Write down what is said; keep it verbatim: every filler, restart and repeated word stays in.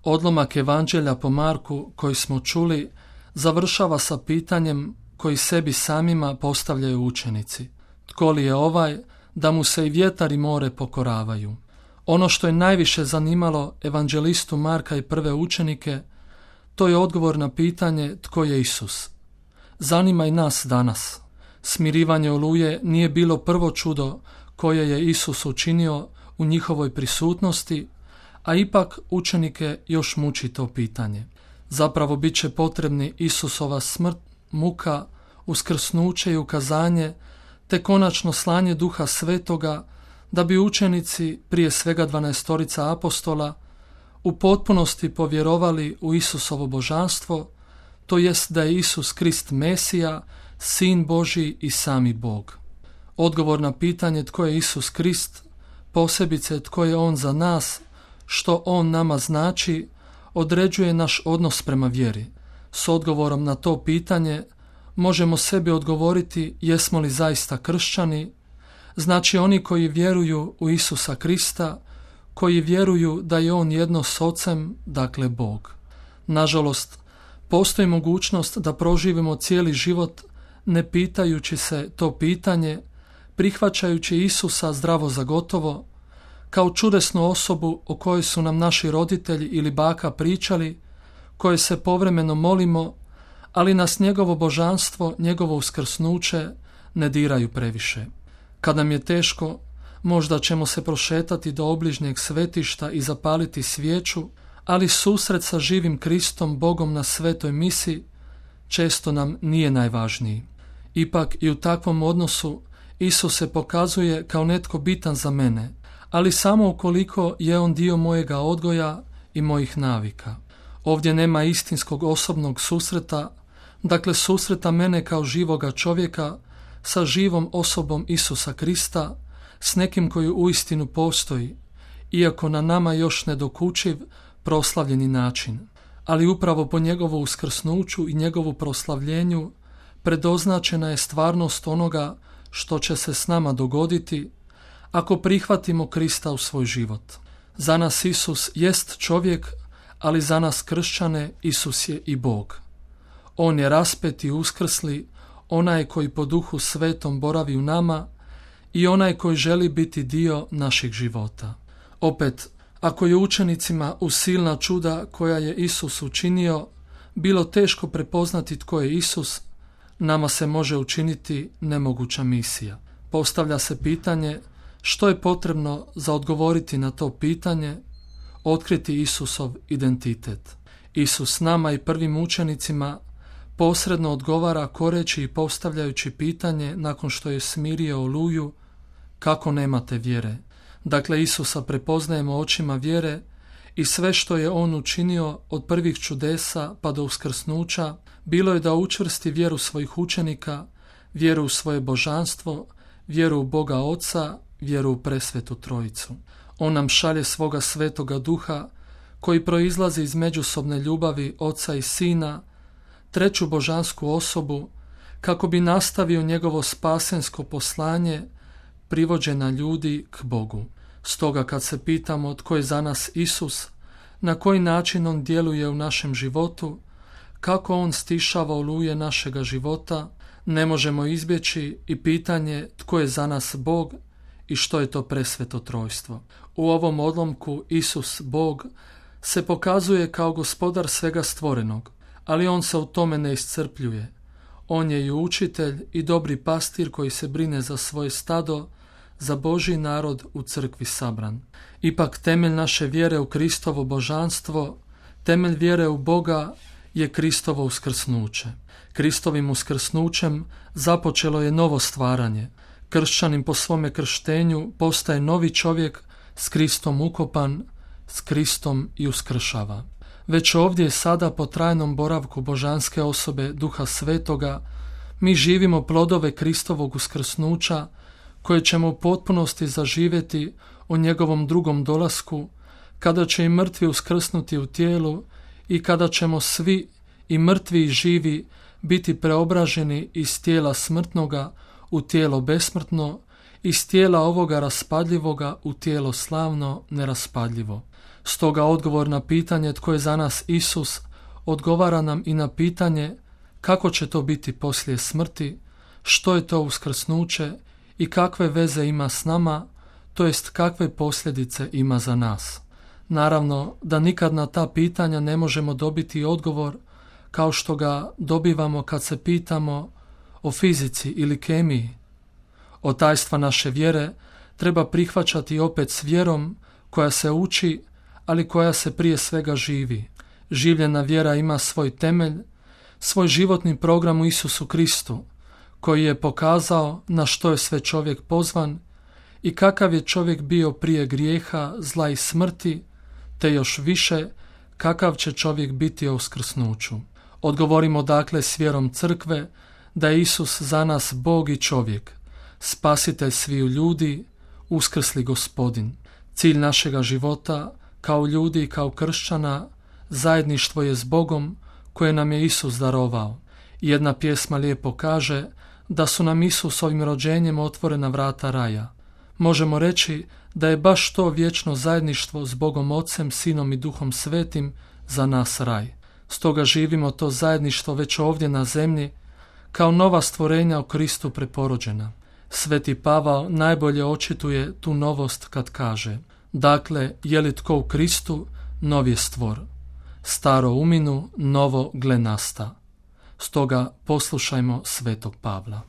Odlomak Evanđelja po Marku koji smo čuli završava sa pitanjem koji sebi samima postavljaju učenici. Tko li je ovaj da mu se i vjetar i more pokoravaju? Ono što je najviše zanimalo evanđelistu Marka i prve učenike, to je odgovor na pitanje tko je Isus. Zanima i nas danas. Smirivanje oluje nije bilo prvo čudo koje je Isus učinio u njihovoj prisutnosti, a ipak učenike još muči to pitanje. Zapravo bit će potrebni Isusova smrt, muka, uskrsnuće i ukazanje, te konačno slanje Duha Svetoga, da bi učenici, prije svega dvanaestorica apostola, u potpunosti povjerovali u Isusovo božanstvo, to jest da je Isus Krist Mesija, Sin Božji i sami Bog. Odgovor na pitanje tko je Isus Krist, posebice tko je On za nas, što On nama znači, određuje naš odnos prema vjeri. S odgovorom na to pitanje možemo sebi odgovoriti jesmo li zaista kršćani, znači oni koji vjeruju u Isusa Krista, koji vjeruju da je On jedno s Ocem, dakle Bog. Nažalost, postoji mogućnost da proživimo cijeli život ne pitajući se to pitanje, prihvaćajući Isusa zdravo za gotovo, kao čudesnu osobu o kojoj su nam naši roditelji ili baka pričali, koje se povremeno molimo, ali nas njegovo božanstvo, njegovo uskrsnuće ne diraju previše. Kad nam je teško, možda ćemo se prošetati do obližnjeg svetišta i zapaliti svijeću, ali susret sa živim Kristom, Bogom na svetoj misi, često nam nije najvažniji. Ipak i u takvom odnosu Isus se pokazuje kao netko bitan za mene, ali samo ukoliko je On dio mojega odgoja i mojih navika. Ovdje nema istinskog osobnog susreta, dakle susreta mene kao živoga čovjeka sa živom osobom Isusa Krista, s nekim koji uistinu postoji, iako na nama još nedokučiv, proslavljeni način. Ali upravo po njegovu uskrsnuću i njegovu proslavljenju predoznačena je stvarnost onoga što će se s nama dogoditi ako prihvatimo Krista u svoj život. Za nas Isus jest čovjek, ali za nas kršćane Isus je i Bog. On je raspet i uskrsli, onaj koji po Duhu Svetom boravi u nama i onaj koji želi biti dio naših života. Opet, ako je učenicima uz silna čuda koja je Isus učinio bilo teško prepoznati tko je Isus, nama se može učiniti nemoguća misija. Postavlja se pitanje što je potrebno za odgovoriti na to pitanje, otkriti Isusov identitet. Isus nama i prvim učenicima posredno odgovara koreći i postavljajući pitanje nakon što je smirio oluju, kako nemate vjere. Dakle, Isusa prepoznajemo očima vjere i sve što je On učinio od prvih čudesa pa do uskrsnuća bilo je da učvrsti vjeru svojih učenika, vjeru u svoje božanstvo, vjeru u Boga Oca, vjeru u presvetu Trojicu. On nam šalje svoga svetoga Duha koji proizlazi iz međusobne ljubavi Oca i Sina, treću božansku osobu, kako bi nastavio njegovo spasensko poslanje privođena ljudi k Bogu. Stoga kad se pitamo tko je za nas Isus, na koji način On djeluje u našem životu, kako On stišava oluje našega života, ne možemo izbjeći i pitanje tko je za nas Bog i što je to presveto trojstvo. U ovom odlomku Isus, Bog, se pokazuje kao gospodar svega stvorenog, ali On se u tome ne iscrpljuje. On je i učitelj i dobri pastir koji se brine za svoje stado, za Božji narod u crkvi sabran. Ipak temelj naše vjere u Kristovo božanstvo, temelj vjere u Boga je Kristovo uskrsnuće. Kristovim uskrsnućem započelo je novo stvaranje. Kršćanin po svome krštenju postaje novi čovjek s Kristom ukopan, s Kristom i uskršava. Već ovdje sada po trajnom boravku božanske osobe Duha Svetoga mi živimo plodove Kristovog uskrsnuća koje ćemo u potpunosti zaživjeti u njegovom drugom dolasku, kada će i mrtvi uskrsnuti u tijelu i kada ćemo svi, i mrtvi i živi, biti preobraženi iz tijela smrtnoga u tijelo besmrtno, iz tijela ovoga raspadljivoga u tijelo slavno neraspadljivo. Stoga odgovor na pitanje tko je za nas Isus odgovara nam i na pitanje kako će to biti poslije smrti, što je to uskrsnuće i kakve veze ima s nama, to jest kakve posljedice ima za nas. Naravno da nikad na ta pitanja ne možemo dobiti odgovor kao što ga dobivamo kad se pitamo o fizici ili kemiji. Od tajstva naše vjere treba prihvaćati opet s vjerom koja se uči, ali koja se prije svega živi. Življena vjera ima svoj temelj, svoj životni program u Isusu Kristu, koji je pokazao na što je sve čovjek pozvan i kakav je čovjek bio prije grijeha, zla i smrti, te još više kakav će čovjek biti o uskrsnuću. Odgovorimo dakle s vjerom crkve da je Isus za nas Bog i čovjek, spasitelj sviju ljudi, uskrsli Gospodin. Cilj našega života kao ljudi i kao kršćana zajedništvo je s Bogom koje nam je Isus darovao. Jedna pjesma lijepo kaže da su nam Isusovim rođenjem otvorena vrata raja. Možemo reći da je baš to vječno zajedništvo s Bogom Ocem, Sinom i Duhom Svetim za nas raj. Stoga živimo to zajedništvo već ovdje na zemlji kao nova stvorenja u Kristu preporođena. Sveti Pavao najbolje očituje tu novost kad kaže: dakle, je li tko u Kristu, nov je stvor. Staro uminu, novo gle nasta. Stoga poslušajmo svetog Pavla.